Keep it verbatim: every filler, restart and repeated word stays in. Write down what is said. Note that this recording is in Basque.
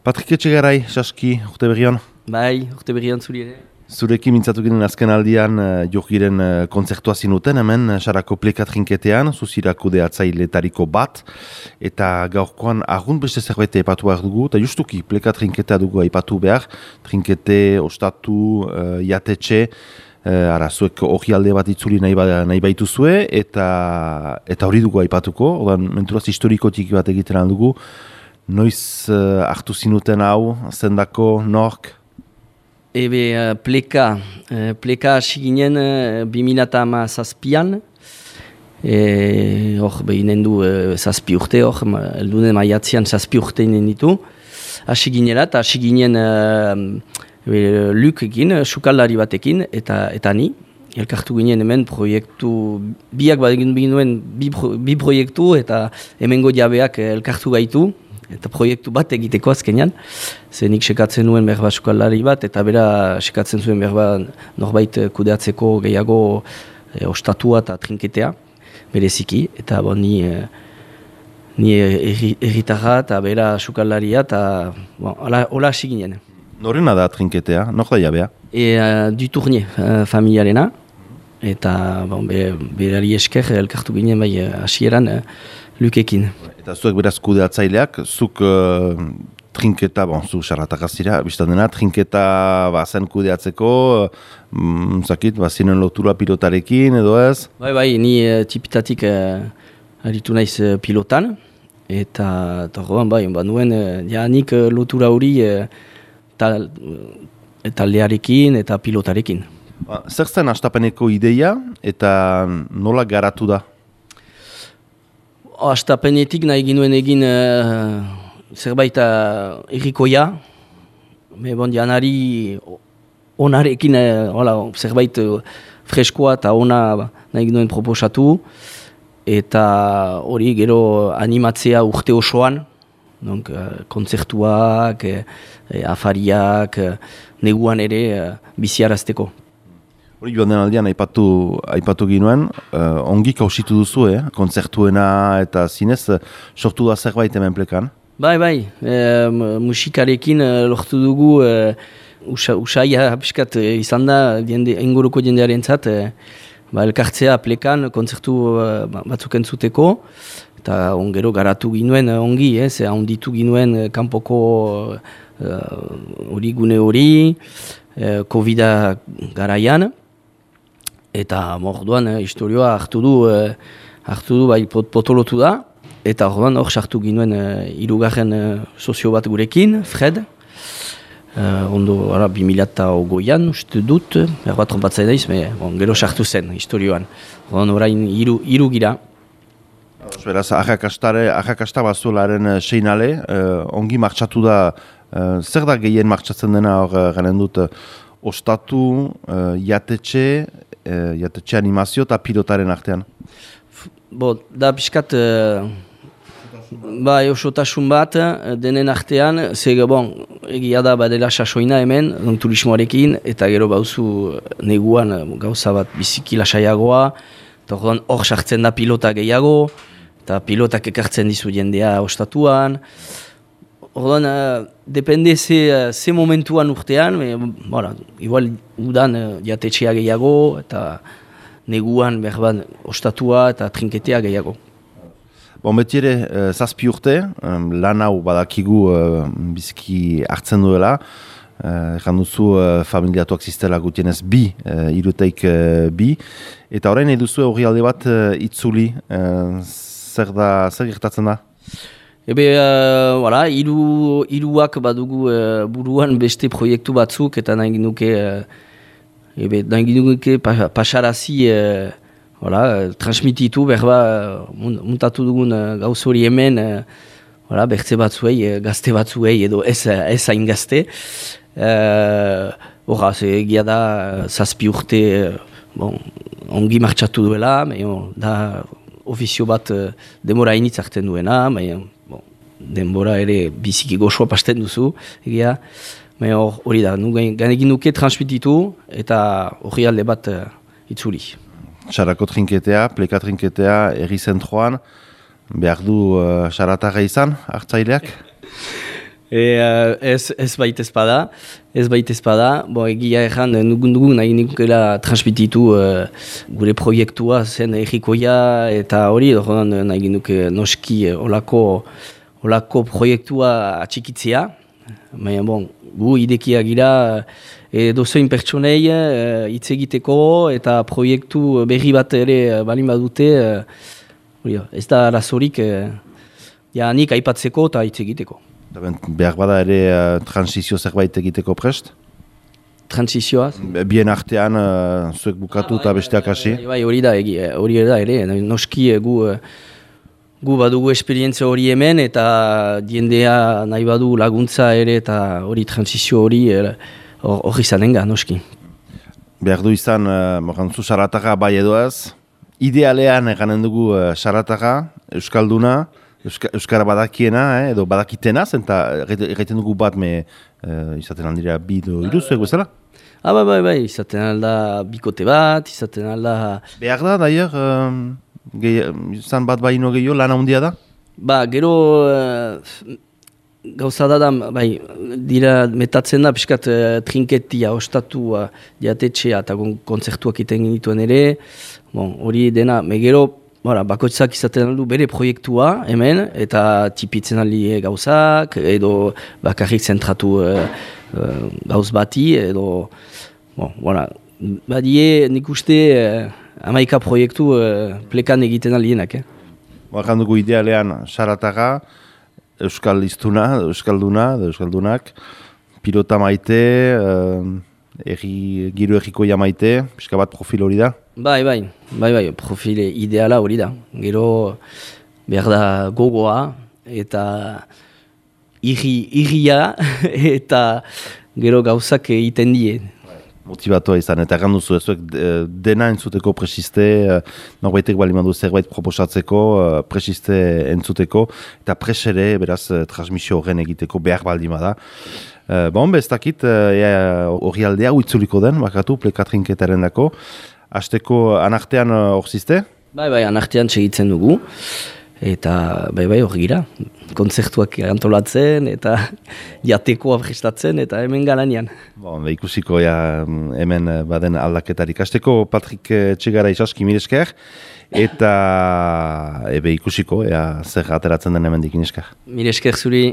Patrik Etxegarai, Saski, urte berrian. Bai, urte berrian zuri ere. Zurekin mintzatu ginen azken aldian uh, jogiren uh, kontzertua zinuten, hemen Sarako Pleka trinketean, zuzirako deatzailetariko bat, eta gaurkoan argunt beste zerbait aipatu behar dugu, eta justuki Pleka trinketea dugu aipatu behar, trinkete, ostatu, uh, jatetxe, uh, ara, zuek hori alde bat itzuli nahi, ba, nahi baitu zue, eta eta hori dugu aipatuko, odan menturaz historikotik bat egiten aldugu, noiz uh, hartu zinuten hau, zendako, nork? Ebe, uh, pleka, uh, pleka hasi ginen uh, bi mila hamazazpian, hor behinen du uh, zazpi urte, hor, eldunen maiatzean zazpi urte inen ditu, hasi ginela, eta hasi ginen uh, Lukekin, sukaldari batekin, eta, eta ni, elkartu ginen hemen proiektu, biak bat egin binuen bi, pro, bi proiektu, eta hemengo jabeak elkartu gaitu, eta proiektu bat egiteko azkenean, zenik sekatzen nuen berba sukaldari bat, eta bera sekatzen zuen berba norbait kudeatzeko gehiago e, ostatua eta trinketea, bereziki, eta bon, ni, e, ni erritarra eta bera sukaldaria, eta bon, hola hasi ginen. Norena da trinketea, nor da jabea? E, uh, du Tournier, uh, familiarena, eta bon, be, berari esker elkartu ginen bai hasieran uh, Lukekin. Eta zuek beraz kudeatzaileak, zuk uh, trinketa, bon, zu xarratak azira, biztan dena, trinketa bazen kudeatzeko, mm, zakit, bazinen lotura pilotarekin edo ez? Bai, bai, ni uh, tipitatik uh, aritu naiz uh, pilotan, eta horrean bai, ba, nuen uh, janik uh, lotura hori uh, tal, uh, taldearekin eta pilotarekin. Ba, zer zen hastapeneko ideia eta nola garatu da? Astapenetik nahi ginuen egin uh, zerbait uh, errikoia, me bon janari onarekin uh, hola, zerbait uh, freskoa eta ona nahi ginuen proposatu, eta hori gero animatzea urte osoan, donc, uh, kontzertuak, uh, afariak, uh, neguan ere uh, biziarazteko. Hori joan den aldean aipatu, aipatu ginuen, uh, ongi kausitu duzu, eh? Kontzertuena eta zinez, uh, sortu da zerbait hemen Plekan? Bai, bai, e, musikarekin uh, lortu dugu, uh, usa, usaia piskat uh, izan da, jende, inguruko jendearen zat, uh, ba, elkartzea Plekan kontzertu uh, batzuk entzuteko, eta ongero garatu ginuen uh, ongi, eh, ze handitu ginuen uh, kanpoko hori uh, gune hori, uh, Covida garaian, eta orduan eh, historioa hartu du, eh, hartu du bai pot, potolotu da, eta orduan hor sartu ginuen eh, hirugarren eh, sozio bat gurekin, Fred, eh, ondo ara, bi mila eta ogoian, uste dut, erbat trompatzai daiz, me, bon, gero sartu zen historioan, orduan orain hiru, hiru gira. Beraz, arrakasta bazularen seinale, eh, ongi martxatu da, eh, zer da gehien martxatzen dena hor eh, garen dut, eh, ostatu, eh, jatetxe, Uh, jatetxe animazio eta pilotaren artean? Bo, da piskat, uh, ba, eusotasun bat, denen artean, zege, bon, egia da badela sasoina hemen, donc, turismoarekin, eta gero bauzu neguan gauza bat biziki lasaiagoa, eta hor sartzen da pilota gehiago, eta pilotak ekartzen dizu jendea ostatuan. Orduan, uh, depende ze, uh, ze momentuan urtean, me, voilà, igual udan uh, jatetxea gehiago, eta neguan berban ostatua eta trinketea gehiago. Bon, beti ere, uh, zazpi urte, um, lan hau badakigu uh, biziki hartzen duela, uh, ekan duzu uh, familiatuak ziztela gutienez bi, uh, iruteik uh, bi, eta orain eduzu hori alde bat uh, itzuli, uh, zer da, zer gertatzen da? Ebe, uh, voilà, iru, iruak badugu uh, buruan beste proiektu batzuk, eta nahi ginuke, uh, ebe, nahi ginuke pa, pasarazi, uh, voilà, transmititu, berba, uh, muntatu dugun uh, gauz hori hemen, uh, voilà, bertze batzuei, uh, gazte batzuei, edo ez, ez hain gazte. Horra, uh, ze egia da, uh, zazpi urte, uh, bon, ongi martxatu duela, me, oh, da ofizio bat uh, demora initz hartzen duena, me, denbora ere biziki goxoa pasten duzu, egia, hori da, ganegin duke transmititu eta hori alde bat uh, itzuli. Sarako trinketea, Pleka trinketea, erri zentroan, behar du uh, xaratarra izan, hartzaileak? e, ez, ez bait ezpada, ez bait ezpada, bo egia erran, nugun dugu nahi nikela transmititu uh, gure proiektua zen egikoia eta hori, orduan nahi nuke noski olako, olako proiektua atxikitzea, baina bon, gu idekia gira edo zein pertsonei hitz egiteko eta proiektu berri bat ere balin badute, uh, ez da arazorik uh, ja, nik aipatzeko eta hitz egiteko. Behar bada ere uh, transizio zerbait egiteko prest? Transizioaz? Bien artean, uh, zuek bukatu eta besteak hasi? Bai, hori da, hori da ere, noski gu, gu badugu esperientzia hori hemen eta diendea nahi badu laguntza ere eta hori transizio hori hori zanenga, noski. Behar du izan, uh, morantzu sarataka bai edo ez, idealean eganen dugu uh, sarataka, euskalduna, Euska, Euskara badakiena, eh, edo badakitena, zenta egiten dugu bat me uh, izaten aldira bi do iruzuek bezala? Ah, bai, bai, bai, izaten alda bikote bat, izaten alda... Behar da, daier, um, izan bat baino gehiago, lan handia da? Ba, gero uh, gauza da da, bai, dira metatzen da, piskat uh, trinketia, ostatu, uh, diatetxea eta kontzertuak iten genituen ere, bon, hori dena, me gero, Bora, bakoitzak izaten aldu bere proiektua hemen, eta tipitzen aldi gauzak, edo bakarrik zentratu uh, uh, gauz bati, edo... Bon, voilà. Badie nik uste uh, amaika proiektu uh, plekan egiten aldienak. Eh? Bakan dugu idealean, sarataga, euskal iztuna, euskalduna, euskaldunak, pilota maite, uh, Eri, giro errikoia maite, pixka bat profil hori da? Bai, bai, bai, bai, profil ideala hori da. Gero behar da gogoa eta irri, irria eta gero gauzak egiten die. Motibatua izan, eta erran duzu ezuek dena entzuteko presiste, norbaitek bali mandu zerbait proposatzeko, presiste entzuteko, eta presere, beraz, transmisio horren egiteko behar baldima da. Uh, bon, ez dakit, hori uh, aldea uitzuliko den, bakatu, plekatrinketaren dako. Azteko anartean hor uh, zizte? Bai, bai, anartean segitzen dugu. Eta, bai, bai, hor gira. Kontzertuak antolatzen, eta jatekoa prestatzen, eta hemen galanean. Bon, ikusiko ja, hemen baden aldaketarik. Azteko Patrik Txegara Isaski miresker, eta ebe ikusiko, ea zer ateratzen den hemen dikin esker. Miresker zuri.